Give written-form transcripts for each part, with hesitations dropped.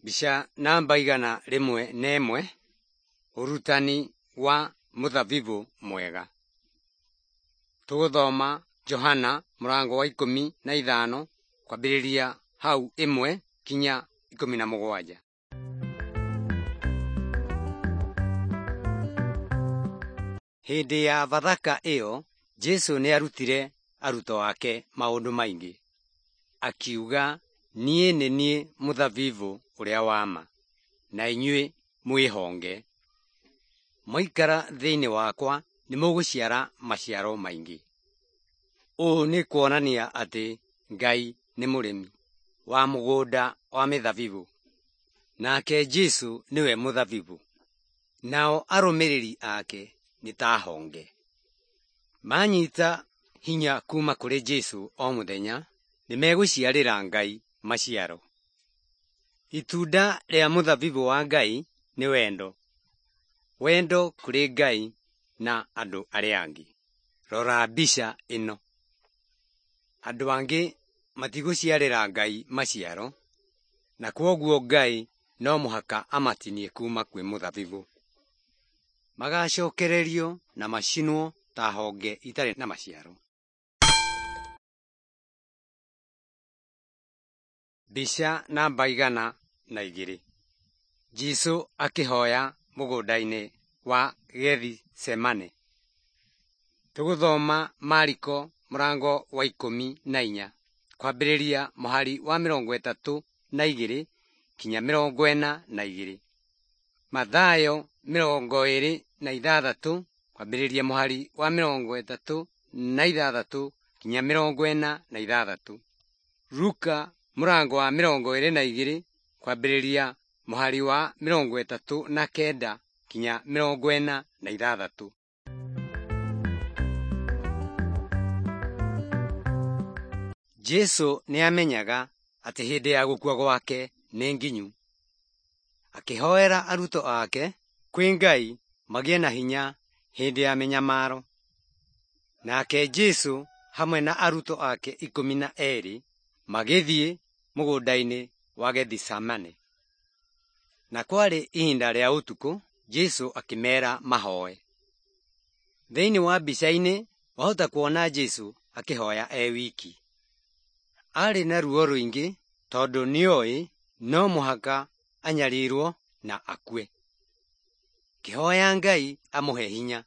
Mbica namba 101, ũrutani wa mũthabibũ mwega. Tũgũthoma Johana mũrango wa 15 kwambĩrĩria hau 1 kinya 17. Hĩndĩ ya Bathaka ĩyo, Jesũ nĩarutire arutwo ake maũndũ maingĩ. Akiuga, niĩ nĩ niĩ mũthabibũ ũrĩa wa ma, na inyuĩ mwĩ honge. Mwaikara thĩinĩ wakwa nĩmũgũciara maciaro maingĩ. Ũũ nĩ kuonania atĩ Ngai nĩ mũrĩmi wa mũgũnda wa mĩthabibũ, nake Jesũ nĩwe mũthabibũ, nao arũmĩrĩri ake nĩ ta honge. Manyita hinya kuma kũrĩ Jesũ o mũthenya, nĩmegũciarĩra Ngai maciaro. Itunda rĩa mũthabibũ wa Ngai nĩ wendo. Wendo kũrĩ Ngai na andũ arĩa angĩ. Rora mbica ĩno. Andũ angĩ matigũciarĩra Ngai maciaro, na kwoguo Ngai no mũhaka amatinie kuma kwĩ mũthabibũ. Magacokererio na macinwo ta honge itarĩ na maciaro. Mbica namba 102. Jesũ akĩhoya mũgũnda-inĩ wa Gethisemane. Tũgũthoma Mariko mũrango wa 14 kwambĩrĩria mũhari wa 32 kinya 42. Mathayo 26 kwambĩrĩria mũhari wa 36 kinya 46. Luka mũrango wa 22 kwambĩrĩria mũhari wa 39 kinya 46. Jesũ nĩamenyaga atĩ hĩndĩ ya gũkua gwake nĩ nginyu. Akĩhoera arutwo ake kwĩ Ngai magĩe na hinya hĩndĩ ya mĩnyamaro. Nake Jesũ hamwe na arutwo ake 12 magĩthiĩ mũgũnda-inĩ wa Gethisemane. Na kwarĩ ihinda rĩa ũtukũ, Jesũ akĩmeera mahoe. Thĩinĩ wa mbica-inĩ wahota kuona Jesũ akĩhoya e wiki. Aarĩ na ruo rũingĩ tondũ nĩoĩ no mũhaka anyarirwo na akue. Akĩhoya Ngai amũhe hinya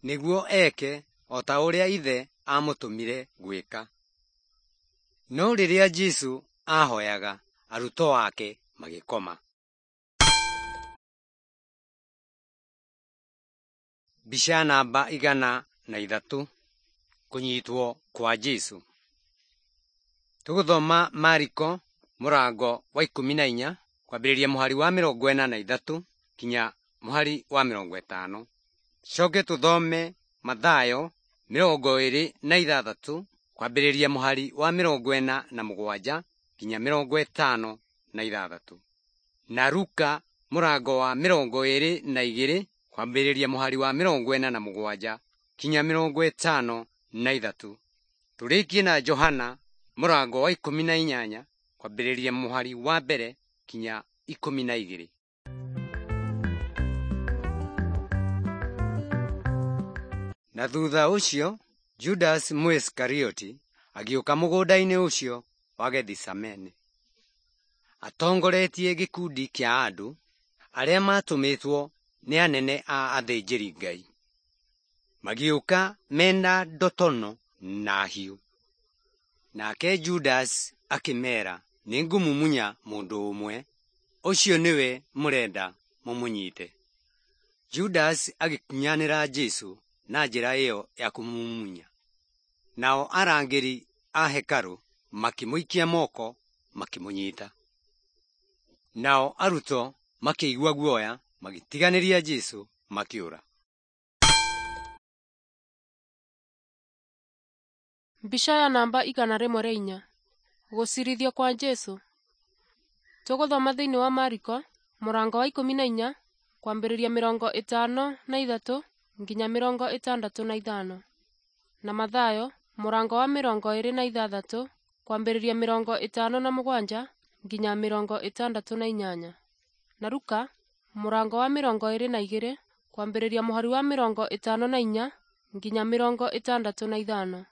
nĩguo eke o ta ũrĩa Ithe aamũtũmire gwĩka. No rĩrĩa Jesũ aahoyaga, arutwo ake magĩkoma. Mbica namba 103, kũnyitwo kwa Jesũ. Tũgũthoma Mariko mũrango wa 14 kwambĩrĩria mũhari wa 43 kinya mũhari wa 50. Coke tũthome Mathayo 26 kwambĩrĩria mũhari wa 47 kinya 56. Na Luka mũrango wa 22 kwambĩrĩria mũhari wa 47 kinya 53. Tũrĩkie na Johana mũrango wa 18 kwambĩrĩria mũhari wa 1 kinya 12. Na thutha ũcio Judas Mũisikarioti agĩũka mũgũnda-inĩ ũcio wa Gethisemane atongoretie gĩkundi kĩa andũ arĩa maatũmĩtwo nĩ anene a athĩnjĩri-Ngai. Magĩũka mena ndotono na hiũ. Nake Judas akĩmeera, nĩngũmumunya mũndũ ũmwe, ũcio nĩwe mũrenda mũmũnyite. Judas agĩkunyanĩra Jesũ na njĩra ĩyo ya kũmũmumunya. Nao arangĩri a hekarũ makĩmũikia moko makĩmũnyita. Nao arutwo makĩigua guoya magĩtiganĩria Jesũ makĩũra. Mbica ya namba 104. Gũcirithio kwa Jesũ. Tũgũthoma thĩinĩ wa Mariko mũrango wa 14 kwambĩrĩria 53 nginya 65 na Mathayo mũrango wa 26 kwambĩrĩria 57 nginya 68, na Luka mũrango wa 22 kwambĩrĩria mũhari wa 54 nginya 65,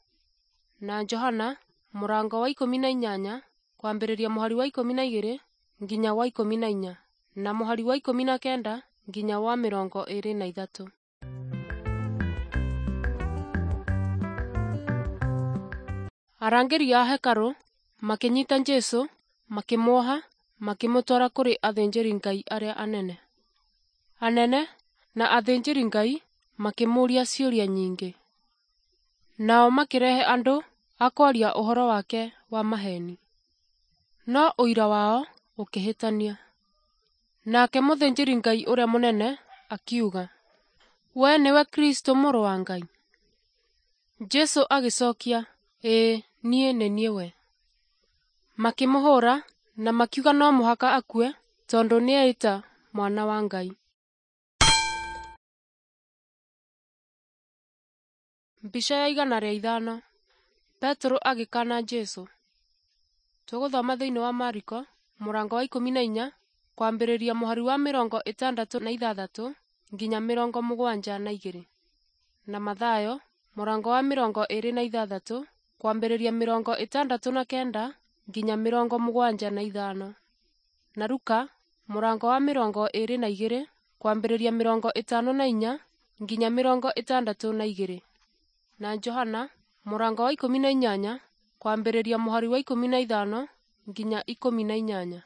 na Johana mũrango wa 18 kwambĩrĩria mũhari wa 12 nginya wa 14, na mũhari wa 19 nginya wa 23. Arangĩri a hekarũ makĩnyita Jesũ, makĩmuoha, makĩmũtwara kũrĩ athĩnjĩri-Ngai arĩa anene. Anene na athĩnjĩri-Ngai makĩmũũria ciũria nyingĩ. Nao makĩrehe andũ a kwaria ũhoro wake wa maheeni. No ũira wao ũkĩhĩtania. Nake mũthĩnjĩri-Ngai ũrĩa mũnene akiuga, "Wee nĩwe Kristũ mũrũ wa Ngai?" Jesũ agĩcokia, "Ĩĩ, niĩ nĩ niĩ we." Makĩmũhũũra na makiuga no mũhaka akue tondũ nĩeĩta mwana wa Ngai. Mbica ya 105. Petero agĩkaana Jesũ. Tũgũthoma thĩinĩ wa Mariko mũrango wa 14 kwambĩrĩria mũhari wa 66 nginya 72, na Mathayo mũrango wa 26 kwambĩrĩria 69 nginya 75, na Luka mũrango wa 22 kwambĩrĩria 54 nginya 62, na Johana mũrango wa 18 kwambĩrĩria mũhari wa 15 nginya 18,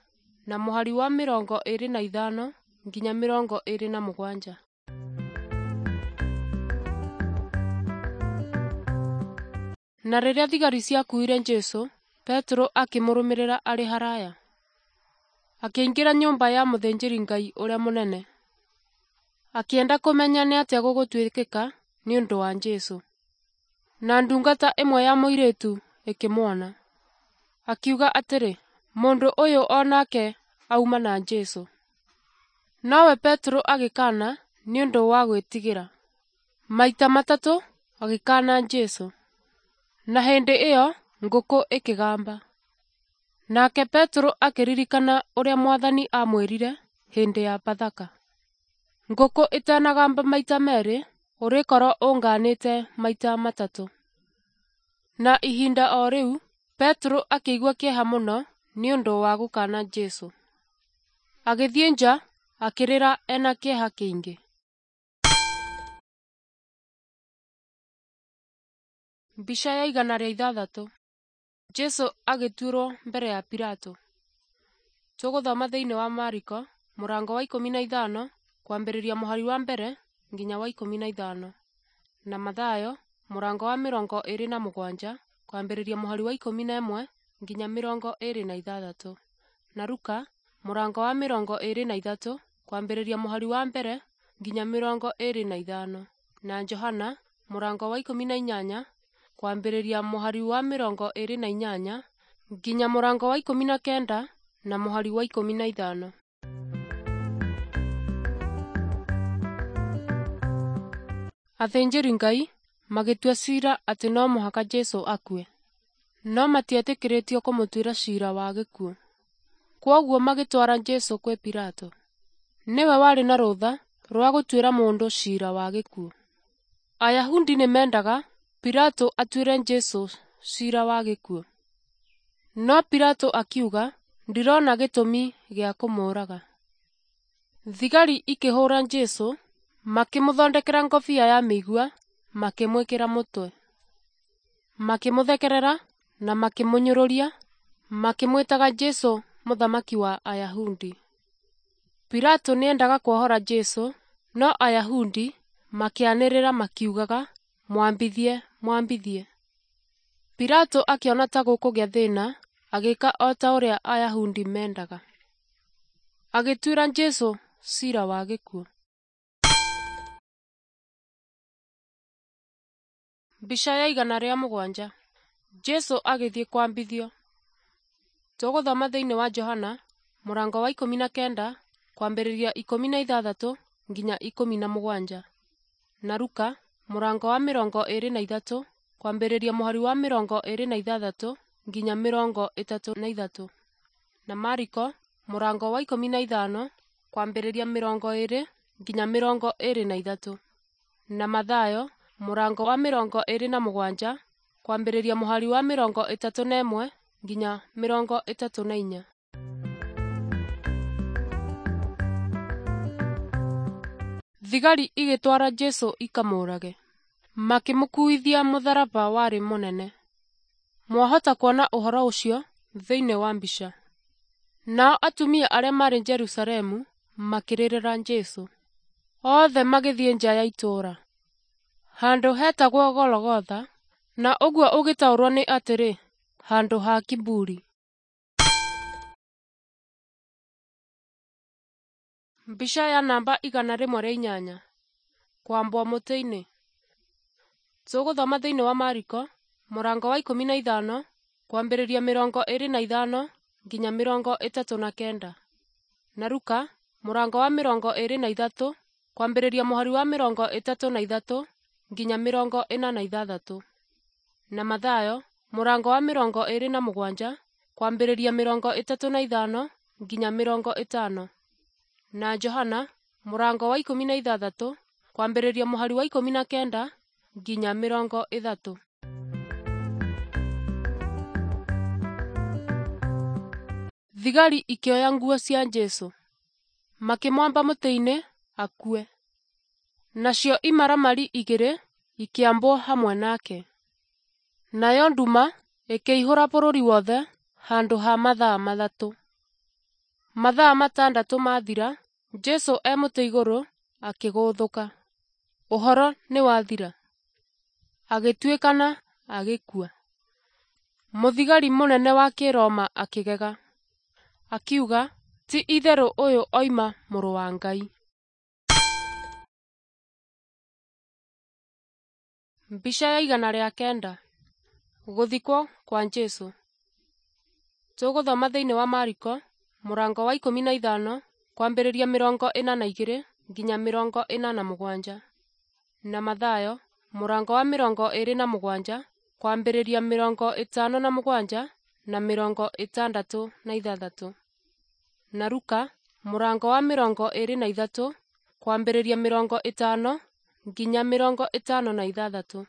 na mũhari wa 25 nginya 27. Na rĩrĩa thigari ciakuire Jesũ, Petero akĩmũrũmĩrĩra arĩ haraya. Akĩingĩra nyũmba ya mũthĩnjĩri-Ngai ũrĩa mũnene. Akĩenda kũmenya nĩ atĩa gũgũtuĩkĩka nĩ ũndũ wa Jesũ. Na ndungata ĩmwe ya mũirĩtu ĩkĩmuona. Akiuga atĩrĩ, "Mũndũ ũyũ o nake auma na Jesũ." Nowe Petero agĩkaana nĩ ũndũ wa gwĩtigĩra. Maita matatũ agĩkaana Jesũ. Na hĩndĩ ĩyo ngũkũ ĩkĩgamba. Nake Petero akĩririkana ũrĩa Mwathani aamwĩrire hĩndĩ ya Bathaka, "Ngũkũ ĩtanagamba maita merĩ, ũrĩkorwo ũngaanĩte maita matatũ." Na ihinda o rĩu Petero akĩigua kĩeha mũno nĩ ũndũ wa gũkaana Jesũ. Agĩthiĩ nja akĩrĩra ena kĩeha kĩingĩ. Mbica ya 106. Jesũ agĩtuĩrwo mbere ya Pilato. Tũgũthoma thĩinĩ wa Mariko mũrango wa 15 kwambĩrĩria mũhari wa 1 nginya wa 15, na Mathayo mũrango wa 27 kwambĩrĩria mũhari wa 11 nginya 26, na Luka mũrango wa 23 kwambĩrĩria mũhari wa 1 nginya 25, na Johana mũrango wa 18 kwambĩrĩria mũhari wa 28 nginya mũrango wa 19 na mũhari wa 15. Athĩnjĩri-Ngai magĩtua ciira atĩ no mũhaka Jesũ akue, no matietĩkĩrĩtio kũmũtuĩra ciira wa gĩkuũ. Kwoguo magĩtwara Jesũ kwĩ Pilato. Nĩwe warĩ na rũtha rwa gũtuĩra mũndũ ciira wa gĩkuũ. Ayahudi nĩmendaga Pilato atuĩre Jesũ ciira wa gĩkuũ. No Pilato akiuga, "Ndirona gĩtũmi gĩa kũmũũraga." Thigari ikĩhũũra Jesũ, makĩmũthondekera ngobia ya mĩigua, makĩmwĩkĩra mũtwe. Makĩmũthekerera na makĩmũnyũrũria, makĩmwĩtaga Jesũ mũthamaki wa Ayahudi. Pilato nĩendaga kuohora Jesũ, no Ayahudi makĩanĩrĩra makiugaga, "Mwambithie, mwambithie!" Pilato akĩona ta gũkũgĩa thĩna, agĩĩka o ta ũrĩa Ayahudi mendaga. Agĩtuĩra Jesũ ciira wa gĩkuũ. Mbica ya 107. Jesũ agĩthiĩ kwambithio. Tũgũthoma thĩinĩ wa Johana mũrango wa 19 kwambĩrĩria 16 nginya 17, na Luka mũrango wa 23 kwambĩrĩria mũhari wa 26 nginya 33. Na Mariko mũrango wa 15 kwambĩrĩria 20 nginya 23. Na Mathayo mũrango wa 27 kwambĩrĩria mũhari wa 31 nginya 34. Thigari igĩtwara Jesũ ikamũũrage. Makĩmũkuithia mũtharaba warĩ mũnene. Mwahota kuona ũhoro ũcio thĩinĩ wa mbica. Nao atumia arĩa maarĩ Jerusalemu makĩrĩrĩra Jesũ. Othe magĩthiĩ nja ya itũũra, handũ hetagwo Gologotha, na ũguo ũgĩtaũrwo nĩ atĩrĩ, handũ ha kiburi. Mbica ya namba 108. Kwambwo mũtĩ-inĩ. Tũgũthoma thĩinĩ wa Mariko mũrango wa 15 kwambĩrĩria 25 nginya 39. Na Luka mũrango wa 23 kwambĩrĩria mũhari wa 33 nginya 46. Na Mathayo mũrango wa 27 kwambĩrĩria 35 nginya 50. Na Johana mũrango wa 16 kwambĩrĩria mũhari wa 19 nginya 30. Thigari ikĩoya nguo cia Jesũ, makĩmwamba mũtĩ-inĩ akue. Nacio imaramari igĩrĩ ikĩambwo hamwe nake. Nayo nduma ĩkĩihũra bũrũri wothe handũ ha mathaa 3. Mathaa 6 mathira, Jesũ e mũtĩ igũrũ akĩgũthũka. Ũhoro nĩwathira. Agĩtuĩkana agĩkua. Mũthigari mũnene wa Kĩroma akĩgega. Akiuga, ti itherũ ũyũ oima mũrũ wa Ngai. Mbica ya 109. Gũthikwo kwa Jesũ. Tũgũthoma thĩinĩ wa Mariko mũrango wa 15 kwambĩrĩria 42 nginya 47. Na Mathayo mũrango wa 27 kwambĩrĩria 57 na 66. Na Luka mũrango wa 23 kwambĩrĩria 50 nginya 56.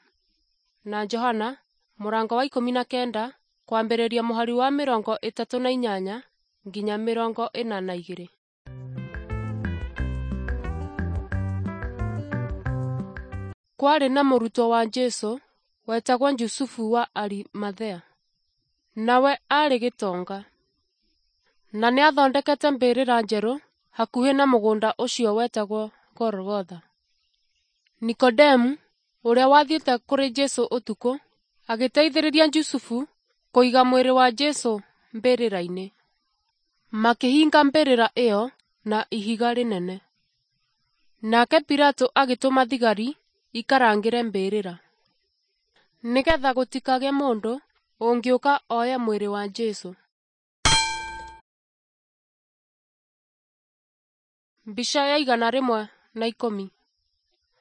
Na Johana mũrango wa 19 kwambĩrĩria mũhari wa 38 nginya 42. Kwarĩ na mũrutwo wa Jesũ wetagwo Jusufu wa Arimathea. Nawe aarĩ gĩtonga. Na nĩathondekete mbĩrĩra njerũ hakuhĩ na mũgũnda ũcio wetagwo Golgotha. Nikodemu, ũrĩa wathiĩte kũrĩ Jesũ ũtukũ, agĩteithĩrĩria Jusufu kũiga mwĩrĩ wa Jesũ mbĩrĩra-inĩ. Makĩhinga mbĩrĩra ĩyo na ihiga rĩnene. Nake Pilato agĩtũma thigari ikarangĩre mbĩrĩra, nĩgetha gũtikagĩe mũndũ ũngĩũka oye mwĩrĩ wa Jesũ. Mbica ya 110.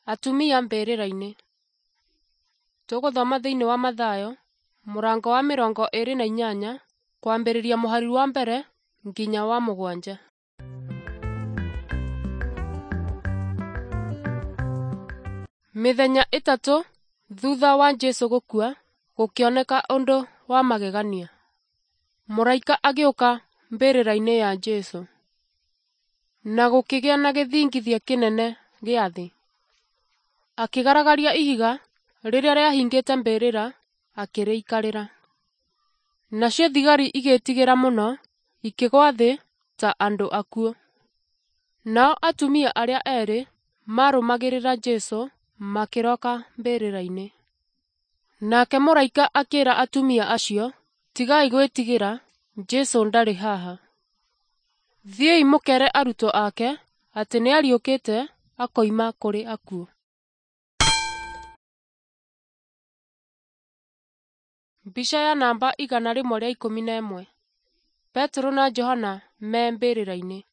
Atumia mbĩrĩra-inĩ. Tũgũthoma thĩinĩ wa Mathayo mũrango wa 28 kwambĩrĩria mũhari wa 1 nginya wa 7. Mĩthenya 3 thutha wa Jesũ gũkua, gũkĩoneka ũndũ wa magegania. Mũraika agĩũka mbĩrĩra-inĩ ya Jesũ, na gũkĩgĩa na gĩthingithia kĩnene gĩa thĩ. Akĩgaragaria ihiga rĩrĩa rĩahingĩte mbĩrĩra, akĩrĩikarĩra. Nacio thigari igĩĩtigĩra mũno, ikĩgwa thĩ ta andũ akuũ. Nao atumia arĩa eerĩ maarũmagĩrĩra Jesũ makĩroka mbĩrĩra-inĩ. Nake mũraika akĩĩra atumia acio, tigai gwĩtigĩra, Jesũ ndarĩ haha. Thiĩi mũkere arutwo ake atĩ nĩariũkĩte akoima kũrĩ akuũ. Mbica ya namba 111. Petero na Johana me mbĩrĩra-inĩ.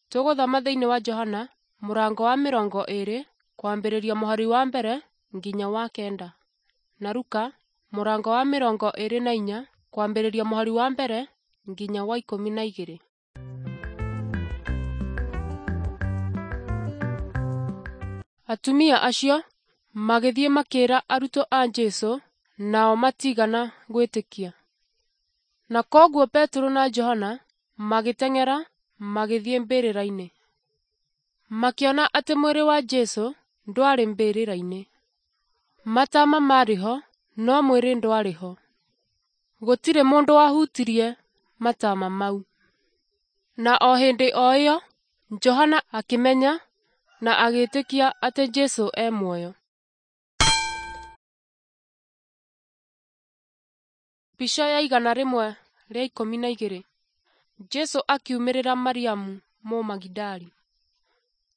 Tũgũthoma thĩinĩ wa Johana mũrango wa 20 kwambĩrĩria mũhari wa 1 nginya wa 9. Na Luka mũrango wa 24 kwambĩrĩria mũhari wa 1 nginya wa 12. Atumia acio magĩthiĩ makĩĩra arutwo a Jesũ, nao matigana gwĩtĩkia. Na kwoguo Petero na Johana magĩteng'era magĩthiĩ mbĩrĩra-inĩ. Makĩona atĩ mwĩrĩ wa Jesũ ndwarĩ mbĩrĩra-inĩ. Matama maarĩ ho, no mwĩrĩ ndwarĩ ho. Gũtirĩ mũndũ wahutirie matama mau. Na o hĩndĩ o ĩyo Johana akĩmenya na agĩĩtĩkia atĩ Jesũ e muoyo. Mbica ya 112. Jesũ akiumĩrĩra Mariamu Mũmagidali.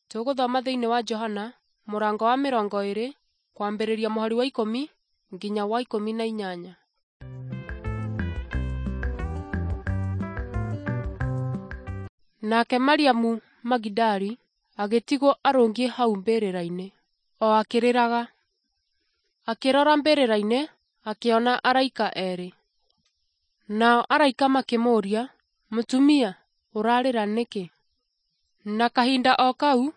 Tũgũthoma thĩinĩ wa Johana mũrango wa 20 kwambĩrĩria mũhari wa 10 nginya wa 18. Nake Mariamu Magidali agĩtigwo arũngiĩ hau mbĩrĩra-inĩ, o akĩrĩraga. Akĩrora mbĩrĩra-inĩ akĩona araika erĩ. Nao araika makĩmũũria, "Mũtumia, ũrarĩra nĩkĩ?" Na kahinda o kau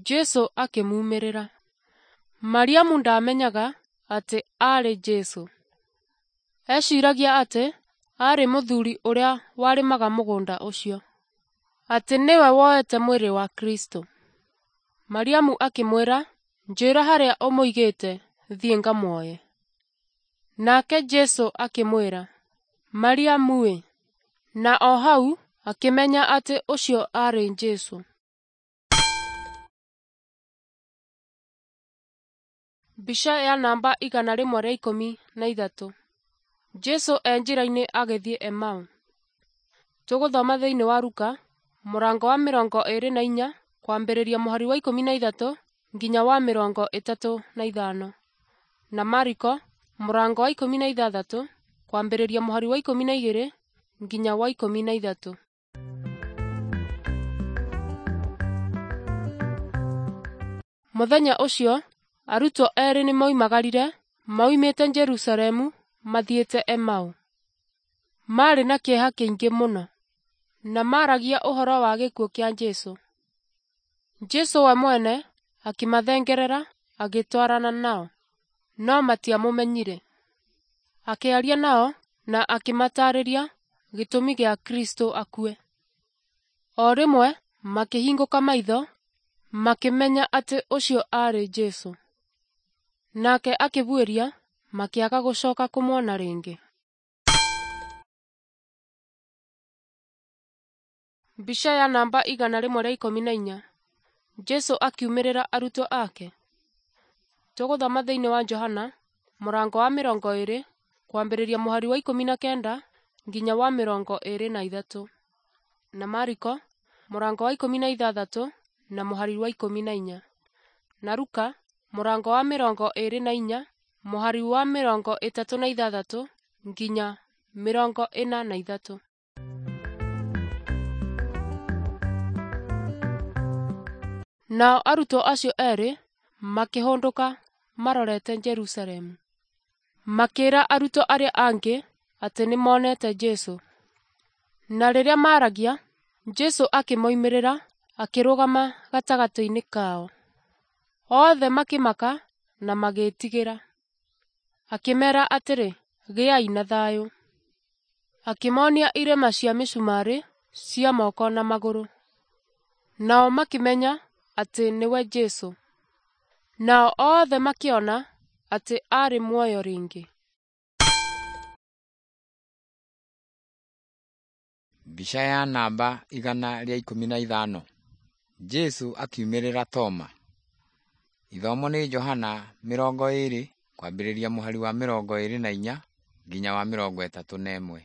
Jesũ akĩmumĩrĩra. Mariamu ndaamenyaga atĩ aarĩ Jesũ. Eeciragia atĩ aarĩ mũthuri ũrĩa warĩmaga mũgũnda ũcio, atĩ nĩwe woete mwĩrĩ wa Kristo. Mariamu akĩmwĩra, "Njĩĩra harĩa ũmũigĩte thiĩ ngamuoye." Nake Jesũ akĩmwĩra, "Mariamu-ĩ!" Na o hau akĩmenya atĩ ũcio aarĩ Jesũ. Mbica ya namba 113. Jesũ e njĩra-inĩ agĩthiĩ Emau. Tũgũthoma thĩinĩ wa Luka mũrango wa 24 kwambĩrĩria mũhari wa 13 nginya wa 35, na Mariko mũrango wa 16 kwambĩrĩria mũhari wa 12 nginya wa 13. Mũthenya ũcio arutwo erĩ nĩmoimagarire moimĩte Jerusalemu mathiĩte Emau. Maarĩ na kĩeha kĩingĩ mũno, na maaragia ũhoro wa gĩkuũ kĩa Jesũ. Jesũ we mwene akĩmathengerera agĩtwarana nao, no matiamũmenyire. Akĩaria nao na akĩmataarĩria gĩtũmi gĩa Kristũ akue. O rĩmwe makĩhingũka maitho, makĩmenya atĩ ũcio aarĩ Jesũ. Nake akĩbuĩria, makĩaga gũcoka kũmuona rĩngĩ. Mbica ya namba 114. Jesũ akiumĩrĩra arutwo ake. Tũgũthoma thĩinĩ wa Johana mũrango wa 20 kwambĩrĩria mũhari wa 19 nginya wa 23, na Mariko mũrango wa 16 na mũhari wa 14, na Luka mũrango wa 24 mũhari wa 36 nginya 43. Nao arutwo acio erĩ makĩhũndũka marorete Jerusalemu. Makĩĩra arutwo arĩa angĩ atĩ nĩmonete Jesũ. Na rĩrĩa maaragia, Jesũ akĩmoimĩrĩra akĩrũgama gatagatĩ-inĩ kao. Othe makĩmaka na magĩĩtigĩra. Akĩmeera atĩrĩ, "Gĩai na thayũ." Akĩmoonia irema cia mĩcumarĩ cia moko na magũrũ. Nao makĩmenya atĩ nĩwe Jesũ. Nao othe makĩona atĩ aarĩ muoyo rĩngĩ. Mbica ya namba 115. Jesũ akiumĩrĩra Toma. Ithomo nĩ Johana 20 kwambĩrĩria mũhari wa 24 nginya wa 31.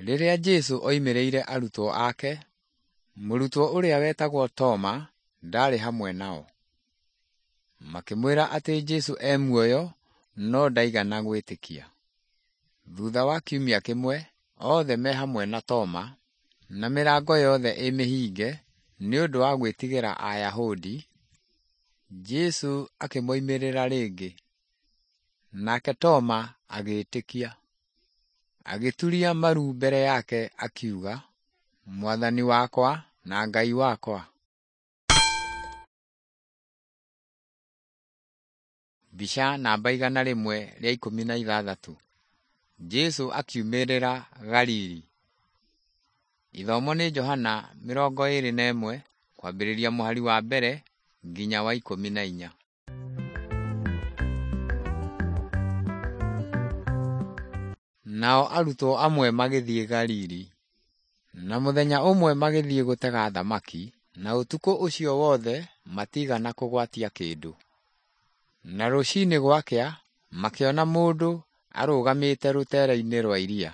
Rĩrĩa Jesũ oimĩrĩire arutwo ake, mũrutwo ũrĩa wetagwo Toma ndaarĩ hamwe nao. Makĩmwĩra atĩ Jesũ e muoyo no ndaigana gwĩtĩkia. Thutha wa kiumia kĩmwe, othe me hamwe na Toma, na mĩrango yothe ĩ mĩhinge nĩ ũndũ wa gwĩtigĩra Ayahudi, Jesũ akĩmoimĩrĩra rĩngĩ Nake Toma agĩĩtĩkia, agĩturia maru mbere yake akiuga, "Mwathani wakwa na Ngai wakwa." Mbica namba 116. Jesũ akiumĩrĩra Galili. Ithomo nĩ Johana 21 kwambĩrĩria mũhari wa mbere nginya wa 14. Nao arutwo amwe magĩthiĩ Galili. Na mũthenya ũmwe magĩthiĩ gũtega thamaki, na ũtukũ ũcio wothe matiigana kũgwatia kĩndũ. Na rũcinĩ gwakĩa, makĩona mũndũ arũgamĩte rũteere-inĩ rwa iria.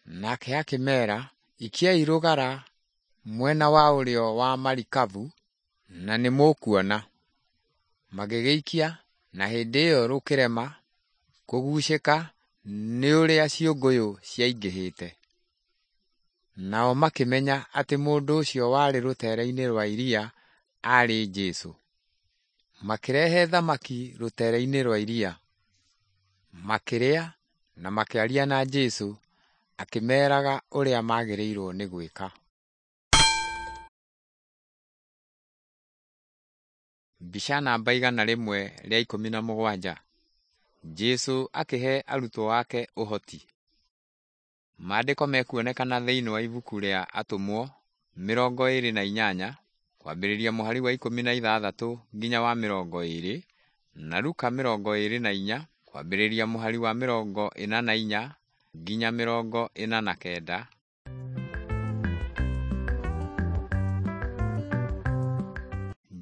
Nake akĩmeera, "Ikiai rũgara mwena wa ũrĩo wa marikabu, na nĩmũkuona." Magĩgĩikia, na hĩndĩ ĩyo rũkĩrema kũgucĩka nĩ ũrĩa ciũngũyũ ciaingĩhĩte. Nao makĩmenya atĩ mũndũ ũcio warĩ rũteere-inĩ rwa iria aarĩ Jesũ. Makĩrehe thamaki rũteere-inĩ rwa iria, makĩrĩa na makĩaria na Jesũ akĩmeeraga ũrĩa magĩrĩirwo nĩ gwĩka. Mbica namba 117. Jesũ akĩhe arutwo ake ũhoti. Maandĩko mekuonekana thĩinĩ wa ibuku rĩa Atũmwo 28 kwambĩrĩria mũhari wa 16 nginya wa 20, na Luka 24 kwambĩrĩria mũhari wa 44 nginya 49.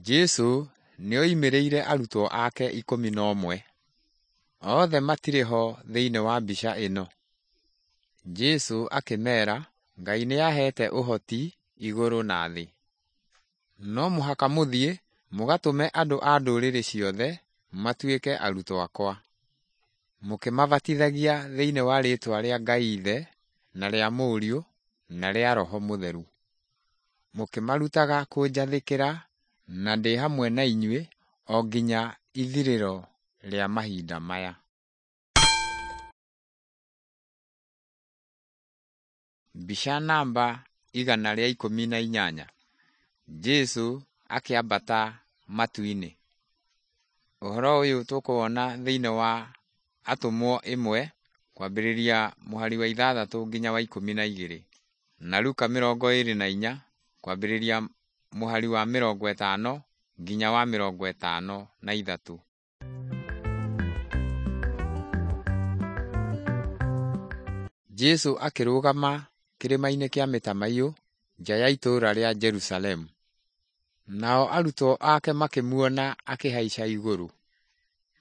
Jesũ nĩoimĩrĩire arutwo ake 11. Othe matirĩ ho thĩinĩ wa mbica ĩno. Jesũ akĩmeera, "Ngai nĩaheete ũhoti igũrũ na thĩ. No mũhaka mũthiĩ mũgatũme andũ a ndũrĩrĩ ciothe matuĩke arutwo akwa, mũkĩmabatithagia thĩinĩ wa rĩĩtwa rĩa Ngai Ithe na rĩa Mũriũ na rĩa Roho Mũtheru, mũkĩmarutaga kũnjathĩkĩra, na ndĩ hamwe na inyuĩ o nginya ithirĩro rĩa mahinda maya." Mbica namba 118. Jesũ akĩambata matu-inĩ. Ũhoro ũyũ tũkũwona thĩinĩ wa Atũmwo 1 kwambĩrĩria mũhari wa 6 nginya wa 12, na Luka 24 kwambĩrĩria mũhari wa 50 nginya wa 53. Jesũ akĩrũgama kĩrĩma-inĩ kĩa Mĩtamaiyũ nja ya itũũra rĩa Jerusalemu. Nao arutwo ake makĩmuona akĩhaica igũrũ.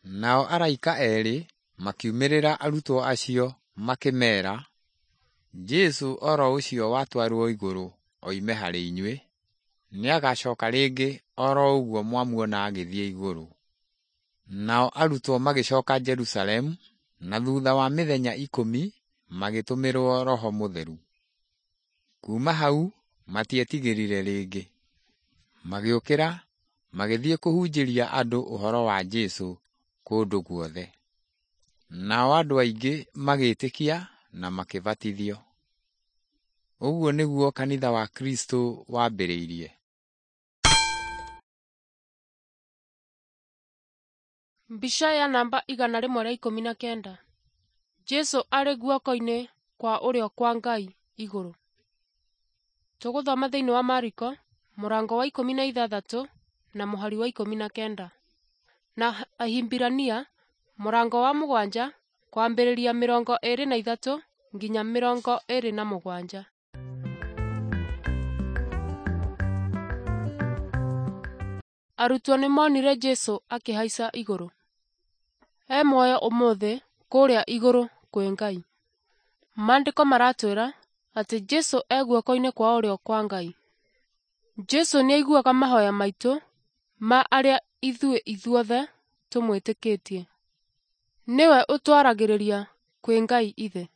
Nao araika erĩ makiumĩrĩra arutwo acio makĩmeera, "Jesũ oro ũcio watwarwo igũrũ oime harĩ inyuĩ, nĩagacoka rĩngĩ oro ũguo mwamuona agĩthiĩ igũrũ." Nao arutwo magĩcoka Jerusalemu, na thutha wa mĩthenya 10 magĩtũmĩrwo Roho Mũtheru. Kuuma hau matietigĩrire rĩngĩ. Magĩũkĩra magĩthiĩ kũhunjĩria andũ ũhoro wa Jesũ kũndũ guothe. Nao andũ aingĩ magĩĩtĩkia na makĩbatithio. Ũguo nĩguo kanitha wa Kristũ wambĩrĩirie. Mbica ya namba 119. Jesũ arĩ guoko-inĩ kwa ũrĩo kwa Ngai igũrũ. Tũgũthoma thĩinĩ wa Mariko mũrango wa 16 na mũhari wa 19, na Ahibirania mũrango wa 7 kwambĩrĩria 23 nginya 27. Arutwo nĩmonire Jesũ akĩhaica igũrũ. E muoyo ũmũthĩ kũrĩa igũrũ kwĩ Ngai. Maandĩko maratwĩra atĩ Jesũ e guoko-inĩ kwa ũrĩo kwa Ngai. Jesũ nĩaiguaga mahoya maitũ ma arĩa ithuĩ ithuothe tũmwĩtĩkĩtie. Nĩwe ũtwaragĩrĩria kwĩ Ngai Ithe.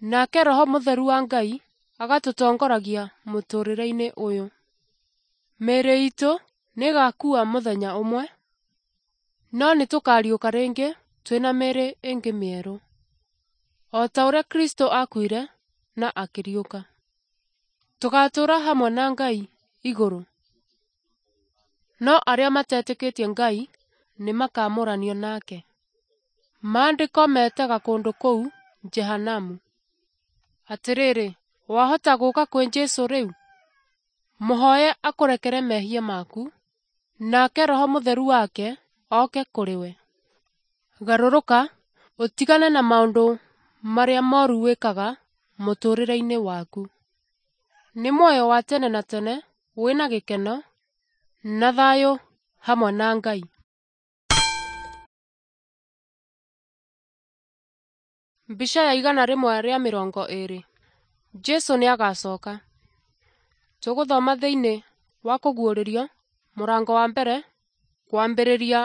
Nake Roho Mũtheru wa Ngai agatũtongoragia mũtũrĩre-inĩ ũyũ. Mĩĩrĩ itũ nĩĩgakua mũthenya ũmwe, no nĩtũkariũka rĩngĩ twĩna mĩĩrĩ ĩngĩ mĩerũ. O ta ũrĩa Kristũ aakuire na akĩriũka. Tũgaatũũra hamwe na Ngai igũrũ. No arĩa matetĩkĩtie Ngai nĩmakamũranio nake. Maandĩko metaga kũndũ kũu Jehanamu. Atĩrĩrĩ, wahota gũka kwĩ Jesũ rĩu? Mũhoye akũrekere mehia maku, nake Roho Mũtheru wake oke kũrĩ we. Garũrũka ũtigane na maũndũ marĩa moru wĩkaga mũtũũrĩre-inĩ waku. Nĩ muoyo wa tene na tene wĩna gĩkeno na thayũ hamwe na Ngai. Mbica ya 120. Jesũ nĩagacoka. Tũgũthoma thĩinĩ wa Kũguũrĩrio mũrango wa mbere kwambĩrĩria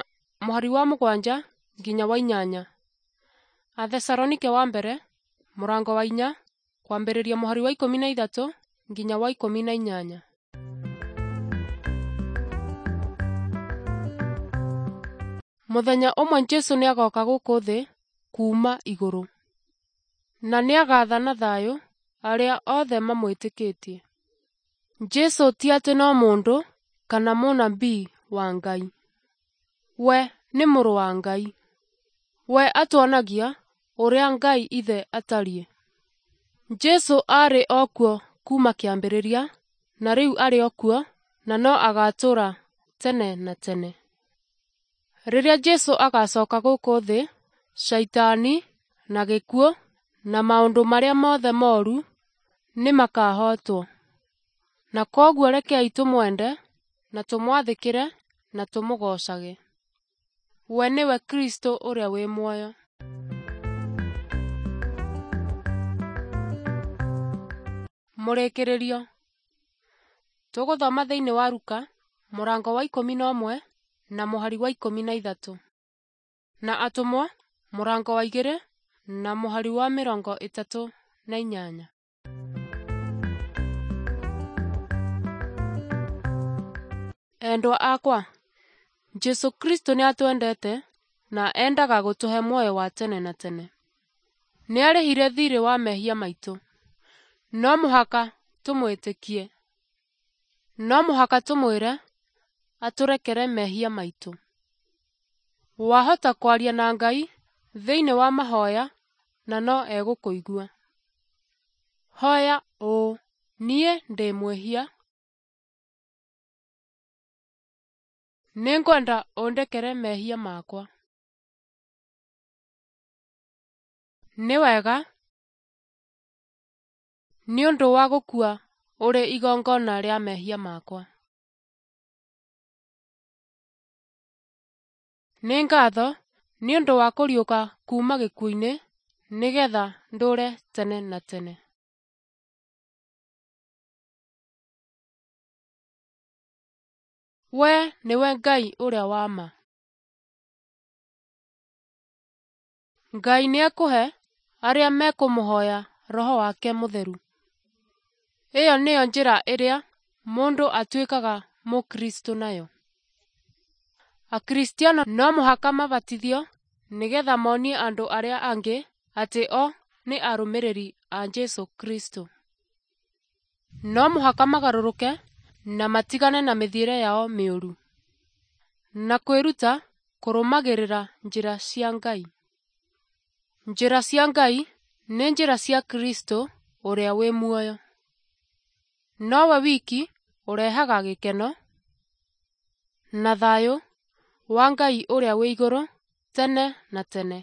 mũhari wa 7 nginya wa 8. Athesalonike wa mbere mũrango wa 4 kwambĩrĩria mũhari wa 13 nginya wa 18. Mũthenya ũmwe Jesũ nĩagoka gũkũ thĩ kuuma igũrũ, na nĩagathana thayũ arĩa othe mamwĩtĩkĩtie. Jesũ ti atĩ no mũndũ kana mũnabii wa Ngai. We nĩ mũrũ wa Ngai. We atuonagia ũrĩa Ngai Ithe atariĩ. Jesũ aarĩ o kuo kuuma kĩambĩrĩria, na rĩu arĩ o kuo, na no agaatũũra tene na tene. Rĩrĩa Jesũ agaacoka gũkũ thĩ, Shaitani na gĩkuũ na maũndũ marĩa mothe moru nĩmakahootwo. Na kwoguo rekei tũmwende na tũmwathĩkĩre na tũmũgoocage. We nĩwe Kristũ ũrĩa wĩ muoyo. Mũrĩkĩrĩrio. Tũgũthoma thĩinĩ wa Luka mũrango wa 11 na mũhari wa 13, na Atũmwo mũrango wa 2 na mũhari wa 38. Endwa akwa, Jesũ Kristũ nĩatwendete na endaga gũtũhe muoyo wa tene na tene. Nĩarĩhire thiirĩ wa mehia maitũ. No mũhaka tũmwĩtĩkie. No mũhaka tũmwĩre atũrekere mehia maitũ. Wahota kwaria na Ngai thĩinĩ wa mahoya na no egũkũigua. Hoya ũũ: Niĩ ndĩ mwĩhia. Nĩngwenda ũndekere mehia makwa. Nĩ wega nĩ ũndũ wa gũkua ũrĩ igongona rĩa mehia makwa. Nĩ ngatho nĩ ũndũ wa kũriũka kuuma gĩkuũ-inĩ nĩgetha ndũũre tene na tene. Wee nĩwe Ngai ũrĩa wa ma. Ngai nĩekũhe arĩa mekũmũhoya Roho wake Mũtheru. Ĩyo nĩyo njĩra ĩrĩa mũndũ atuĩkaga Mũkristo nayo. Akristiano no mũhaka mabatithio nĩgetha monie andũ arĩa angĩ atĩ o nĩ arũmĩrĩri a Jesũ Kristo. No mũhaka magarũrũke na matigane na mĩthiĩre yao mĩũru, na kwĩruta kũrũmagĩrĩra njĩra cia Ngai. Njĩra cia Ngai nĩ njĩra cia Kristo ũrĩa wĩ muoyo. Nowe wiki ũrehaga gĩkeno na thayũ wa Ngai ũrĩa wĩ igũrũ tene na tene.